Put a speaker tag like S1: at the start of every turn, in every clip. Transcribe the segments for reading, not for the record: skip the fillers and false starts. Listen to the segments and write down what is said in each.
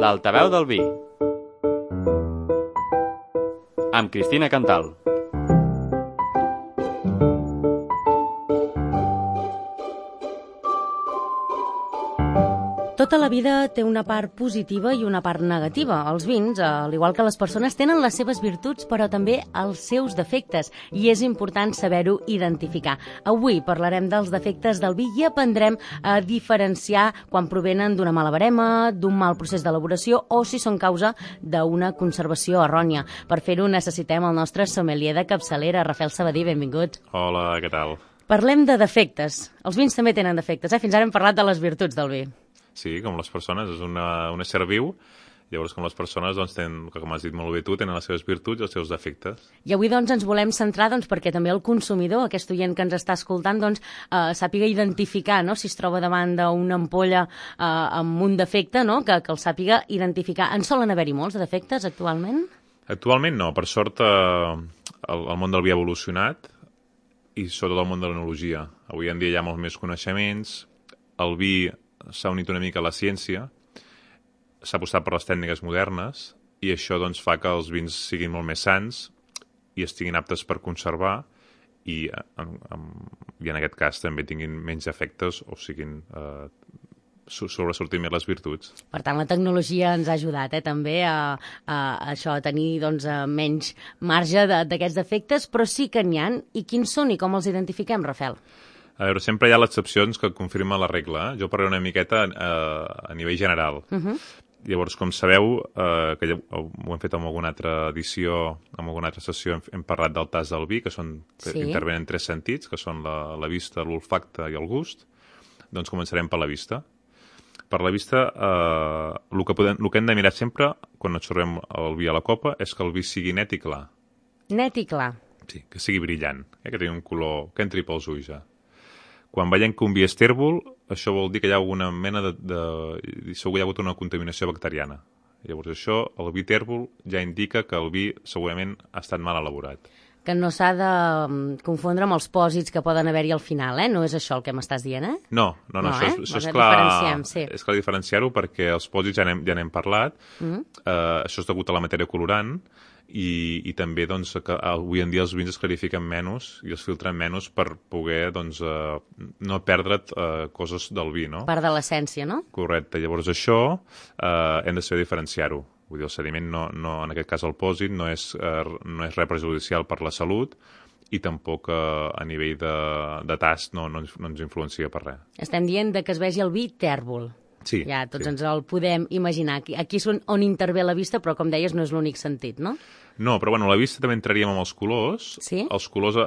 S1: L'altaveu del vi. Amb Cristina Cantal.
S2: Tota la vida té una part positiva i una part negativa. Els vins, al igual que les persones, tenen les seves virtuts, però també els seus defectes, i és important saber-ho identificar. Avui parlarem dels defectes del vi i aprendrem a diferenciar quan provenen d'una mala barema, d'un mal procés d'elaboració o si són causa d'una conservació errònia. Per fer-ho necessitem el nostre sommelier de capçalera, Rafael Sabadí, benvingut.
S3: Hola, què tal?
S2: Parlem de defectes. Els vins també tenen defectes, Fins ara hem parlat de les virtuts del vi.
S3: Sí, com les persones, és un ésser viu, llavors com les persones, doncs, com has dit molt bé tu, tenen les seves virtuts i els seus defectes.
S2: I avui, doncs, ens volem centrar, perquè també el consumidor, aquest oient que ens està escoltant, sàpiga identificar, si es troba davant d'una ampolla amb un defecte, que el sàpiga identificar. En solen haver-hi molts defectes actualment?
S3: Actualment no, per sort el món del vi ha evolucionat i sobretot el món de l'enologia. Avui en dia hi ha molts més coneixements, el vi s'ha unit una mica a la ciència, s'ha apostat per les tècniques modernes i això doncs, fa que els vins siguin molt més sans i estiguin aptes per conservar i en aquest cas també tinguin menys efectes o siguin sobresortir més les virtuts.
S2: Per tant, la tecnologia ens ha ajudat també a això, a tenir menys marge d'aquests defectes, però sí que n'hi ha. I quins són i com els identifiquem, Rafael?
S3: A veure, sempre hi ha les excepcions que confirmen la regla. Jo parlaré una miqueta a nivell general. Llavors, com sabeu, que ja ho hem fet en alguna altra edició, en alguna altra sessió, hem parlat del tast del vi, que intervenen 3 sentits, que són la vista, l'olfacte i el gust. Doncs començarem per la vista. Per la vista, el que hem de mirar sempre, quan observem el vi a la copa, és que el vi sigui net i clar.
S2: Net i clar.
S3: Sí, que sigui brillant, que tingui un color que entri pels ulls ja. Quan veiem que un vi és tèrbol, això vol dir que hi ha alguna mena segur hi ha hagut una contaminació bacteriana. Llavors això, el vi tèrbol, ja indica que el vi segurament ha estat mal elaborat.
S2: Que no s'ha de confondre amb els pòsits que poden haver-hi al final, No és això el que m'estàs dient,
S3: No, això és clar. És clar diferenciar-ho perquè els pòsits ja n'hem parlat. Això és degut a la matèria colorant i també doncs, que avui en dia els vins es clarifiquen menys i es filtren menys per poder doncs, no perdre't coses del vi, no?
S2: Part de l'essència, no?
S3: Correcte. Llavors això hem de saber diferenciar-ho. Vull dir, el sediment, en aquest cas el pòsit, no és res perjudicial per la salut i tampoc a nivell de tast no ens influencia per res.
S2: Estem dient que es vegi el vi tèrbol.
S3: Sí.
S2: Ja tots ens el podem imaginar. Aquí és on intervé la vista, però com deies no és l'únic sentit, no?
S3: No, però bueno, la vista també entraríem amb els colors.
S2: Sí?
S3: Els colors,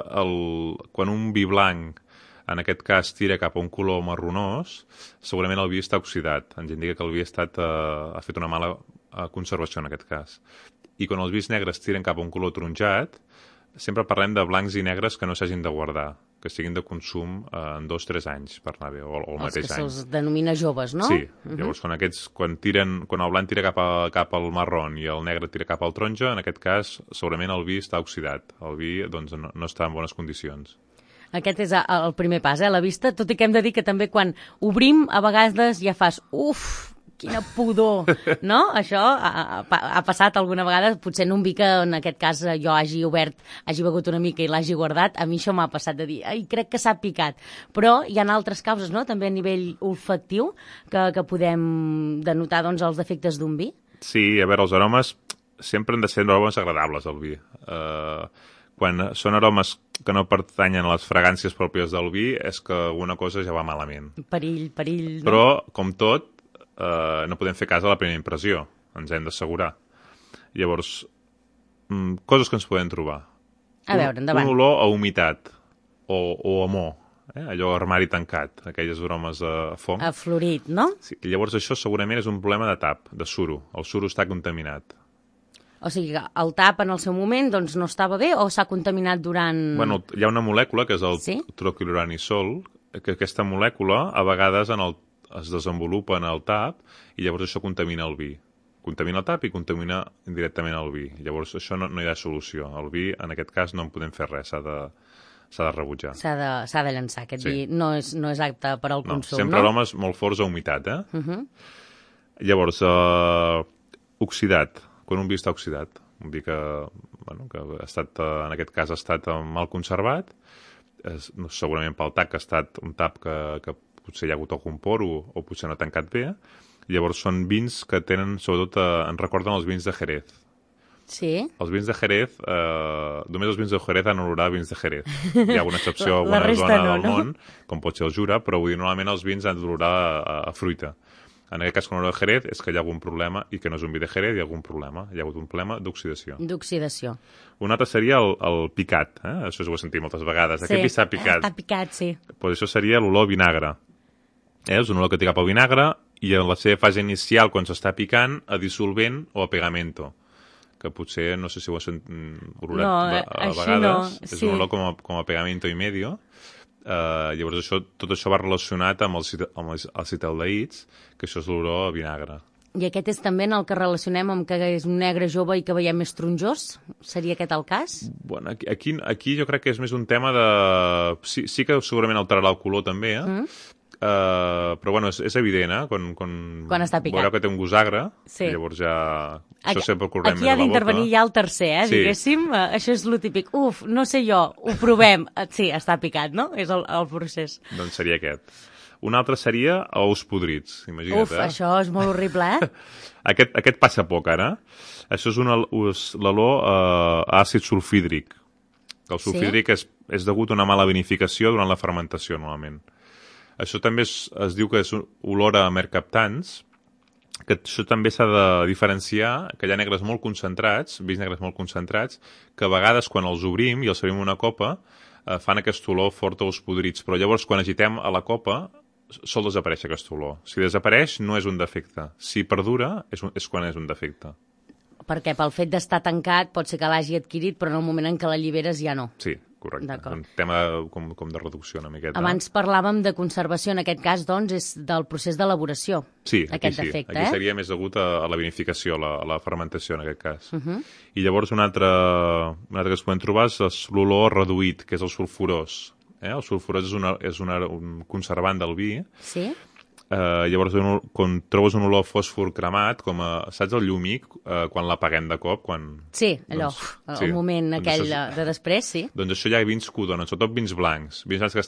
S3: quan un vi blanc, en aquest cas, tira cap a un color marronós, segurament el vi està oxidat. Ens indica que el vi ha fet una mala conservació en aquest cas. I quan els vins negres tiren cap a un color taronjat, sempre parlem de blancs i negres que no s'hagin de guardar, que siguin de consum en 2-3 anys per anar bé, o el mateix any.
S2: Els que se'ls denomina joves, no?
S3: Sí, llavors quan el blanc tira cap al marrón i el negre tira cap al taronja, en aquest cas segurament el vi està oxidat, el vi doncs, no està en bones condicions.
S2: Aquest és el primer pas, la vista, tot i que hem de dir que també quan obrim a vegades ja fas quina pudor, no? Això ha passat alguna vegada, potser en un vi que en aquest cas jo hagi begut una mica i l'hagi guardat, a mi això m'ha passat de dir, crec que s'ha picat. Però hi ha altres causes, no?, també a nivell olfactiu, que podem denotar doncs, els defectes d'un vi.
S3: Sí, a veure, els aromes sempre han de ser aromes agradables al vi. Quan són aromes que no pertanyen a les fragàncies pròpies del vi, és que alguna cosa ja va malament.
S2: Perill, no?
S3: Però, com tot, no podem fer cas a la primera impressió, ens hem d'assegurar. Llavors, coses que ens podem trobar.
S2: A veure, endavant.
S3: Un olor a humitat o amor, allò armari tancat, aquelles aromes a fong.
S2: A florit, no?
S3: Sí, llavors això segurament és un problema de tap, de suro. El suro està contaminat.
S2: O sigui, el tap en el seu moment doncs, no estava bé o s'ha contaminat durant...
S3: Bueno, hi ha una molècula que és el troquiloranisol, que aquesta molècula a vegades es desenvolupa en el tap i llavors això contamina el vi. Contamina el tap i contamina indirectament el vi. Llavors això no hi ha solució. El vi, en aquest cas, no en podem fer res, s'ha de rebutjar.
S2: S'ha de llançar, aquest vi no és apte per al consum,
S3: sempre aromes molt forts a humitat, Llavors, oxidat. Quan un vi està oxidat, un vi que ha estat, en aquest cas ha estat mal conservat, segurament pel tap, que ha estat un tap que potser hi ha hagut algun poro o potser no ha tancat bé. Llavors són vins que tenen, sobretot, ens recorden els vins de Jerez.
S2: Sí.
S3: Els vins de Jerez, només els vins de Jerez han olorat vins de Jerez. Hi ha alguna excepció a alguna zona del món, com pot ser el Jura, però vull dir, normalment els vins han d'olorar a fruita. En aquest cas, quan olora Jerez, és que hi ha algun problema, i que no és un vi de Jerez, hi ha algun problema. Hi ha hagut un problema d'oxidació.
S2: D'oxidació.
S3: Un altre seria el picat. Això ho he sentit moltes vegades. Aquest vi està picat.
S2: Està picat, sí.
S3: Pues això seria l'olor vinagre. És un olor que té cap al vinagre, i en la seva fase inicial, quan s'està picant, a dissolvent o a pegamento, que potser, no sé si ho has olorat a vegades, és un olor com a pegamento i medio. Llavors tot això va relacionat amb els acetaldehids, que això és l'olor a vinagre.
S2: I aquest és també en el que relacionem amb que és un negre jove i que veiem més tronjós? Seria aquest el cas?
S3: Bueno, aquí jo crec que és més un tema de... Sí que segurament alterarà el color també, però bueno, és evident,
S2: quan està picat.
S3: Veureu que té un gust agre, llavors ja... Això sempre ho correm més a la boca.
S2: Aquí ha d'intervenir ja el tercer, diguéssim. Això és lo típic. No sé jo, ho provem. Sí, està picat, no? És el procés.
S3: Doncs seria aquest. Un altre seria ous podrits, imagina't.
S2: Això és molt horrible,
S3: Aquest passa poc, ara. Això és l'olor a àcid sulfídric. El sulfídric és degut a una mala vinificació durant la fermentació, normalment. Això també es diu que és olor a mercaptans, que això també s'ha de diferenciar, que hi ha negres molt concentrats, vins negres molt concentrats, que a vegades quan els obrim i els servim una copa fan aquest olor fort a ous podrits, però llavors quan agitem a la copa sol desaparèixer aquest olor. Si desapareix no és un defecte, si perdura és quan és un defecte.
S2: Perquè pel fet d'estar tancat pot ser que l'hagi adquirit, però en el moment en què l'alliberes ja no.
S3: Sí, correcte. Un tema com de reducció una miqueta.
S2: Abans parlàvem de conservació, en aquest cas, doncs, és del procés d'elaboració.
S3: Sí, aquí seria més degut a la vinificació, a la fermentació, en aquest cas. I llavors un altre que es poden trobar és l'olor reduït, que és el sulfurós. El sulfurós és un conservant del vi.
S2: Sí.
S3: Llavors, quan trobes un olor fòsfor cremat, saps el llumí, quan l'apaguem de cop?
S2: Sí, allò, el moment aquell de després, sí.
S3: Doncs això hi ha vins que ho donen, sobretot vins blancs. Vins blancs que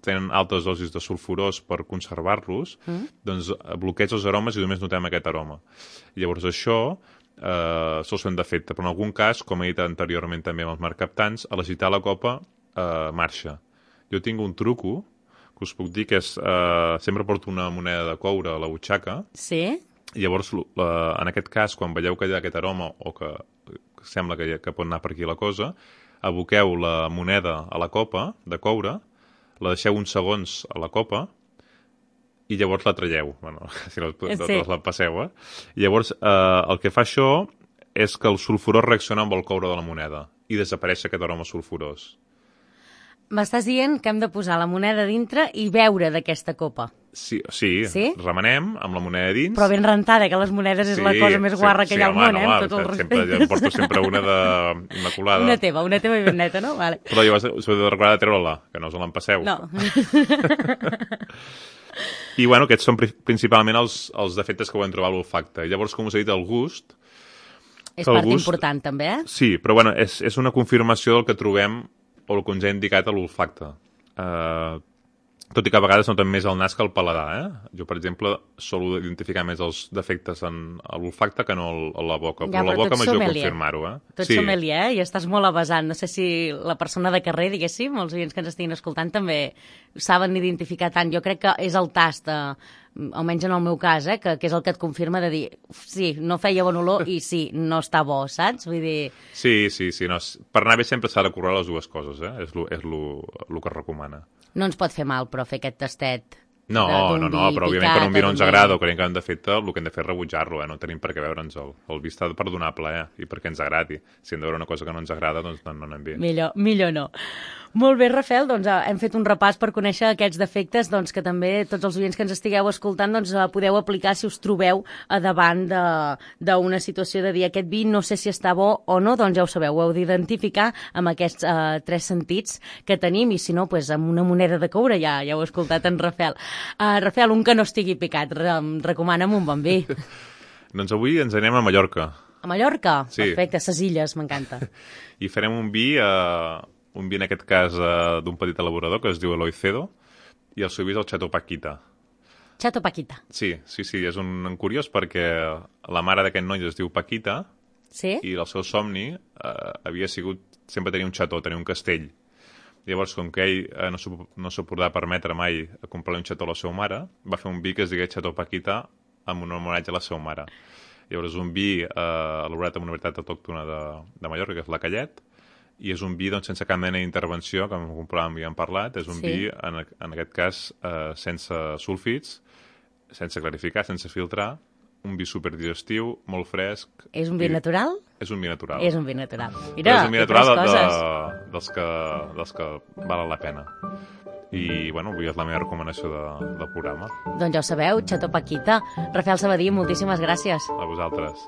S3: tenen altes dosis de sulfurós per conservar-los, doncs bloqueja els aromes i només notem aquest aroma. Llavors això sol ser un defecte, però en algun cas, com he dit anteriorment també amb els mercaptans, a l'agitar la copa marxa. Jo tinc un truco que us puc dir que és... sempre porto una moneda de coure a la butxaca.
S2: Sí?
S3: I llavors, en aquest cas, quan veieu que hi ha aquest aroma o que sembla que pot anar per aquí la cosa, aboqueu la moneda a la copa de coure, la deixeu uns segons a la copa i llavors la traieu. Bueno, si no, la passeu, I llavors, el que fa això és que el sulfurós reacciona amb el coure de la moneda i desapareix aquest aroma sulfurós.
S2: M'estàs dient que hem de posar la moneda dintre i beure d'aquesta copa.
S3: Sí, remenem amb la moneda dins.
S2: Però ben rentada, que les monedes és la cosa més guarra que hi ha al món, amb tot el respecte.
S3: Jo porto sempre una d'immaculada.
S2: Una teva i ben neta, no? Vale.
S3: Però llavors us heu de recordar de treure-la, que no us l'empasseu.
S2: No.
S3: I bueno, aquests són principalment els defectes que podem trobar a l'olfacte. I llavors, com us he dit, el gust...
S2: És part important, també,
S3: Sí, però bueno, és una confirmació del que trobem o el que ens ha indicat a l'olfacte. Tot i que a vegades notem més el nas que el paladar, Jo, per exemple, solo identificar més els defectes a l'olfacte que no a la boca. Però la boca m'ajuda a confirmar-ho,
S2: Tu ets sommelier, i estàs molt avasant. No sé si la persona de carrer, diguéssim, els oients que ens estiguin escoltant, també saben identificar tant. Jo crec que és el tast, almenys en el meu cas, que és el que et confirma de dir sí, no feia bon olor i sí, no està bo, saps? Vull dir...
S3: Sí. No, per anar bé sempre s'ha de currar les dues coses, És el que es recomana.
S2: No ens pot fer mal, però, fer aquest tastet.
S3: No, però òbviament quan un vi no ens agrada o creiem que ha un defecte, el que hem de fer és rebutjar-lo, No tenim per què veure'ns el vi està perdonable, I perquè ens agradi. Si hem de veure una cosa que no ens agrada, doncs no anem bé.
S2: Millor no. Molt bé, Rafael, doncs hem fet un repàs per conèixer aquests defectes, doncs que també tots els oients que ens estigueu escoltant doncs podeu aplicar si us trobeu davant d'una situació de dir aquest vi no sé si està bo o no, doncs ja ho sabeu, ho heu d'identificar amb aquests 3 sentits que tenim i si no, doncs amb una moneda de coure, ja ho he escoltat en Rafael. Rafael, un que no estigui picat, recomana'm un bon vi.
S3: Doncs avui ens anem a Mallorca.
S2: A Mallorca?
S3: Sí.
S2: Perfecte, ses illes, m'encanta.
S3: I farem un vi en aquest cas d'un petit elaborador que es diu Eloi Cedo, i el seu vi és el Chateau Paquita.
S2: Chateau Paquita.
S3: Sí, és un curiós perquè la mare d'aquest noi es diu Paquita,
S2: Sí?
S3: i el seu somni havia sigut sempre tenir un xató, tenir un castell. Llavors, com que ell no s'ho podrà permetre mai a comprar un xató a la seva mare, va fer un vi que es digués Chateau Paquita amb un homenatge a la seva mare. Llavors, és un vi elaborat amb una varietat autòctona de Mallorca, que és la Callet, i és un vi doncs, sense cap mena d'intervenció, com compràvem i hem parlat. És un vi, en aquest cas, sense sulfits, sense clarificar, sense filtrar, un vi superdigestiu, molt fresc.
S2: És un vi natural?
S3: És un vi natural.
S2: És un vi natural. Mira,
S3: però és un vi natural
S2: coses.
S3: dels que valen la pena. I, bueno, avui és la meva recomanació del programa.
S2: Doncs ja ho sabeu, Chateau Paquita. Rafael Sabadí, moltíssimes gràcies.
S3: A vosaltres.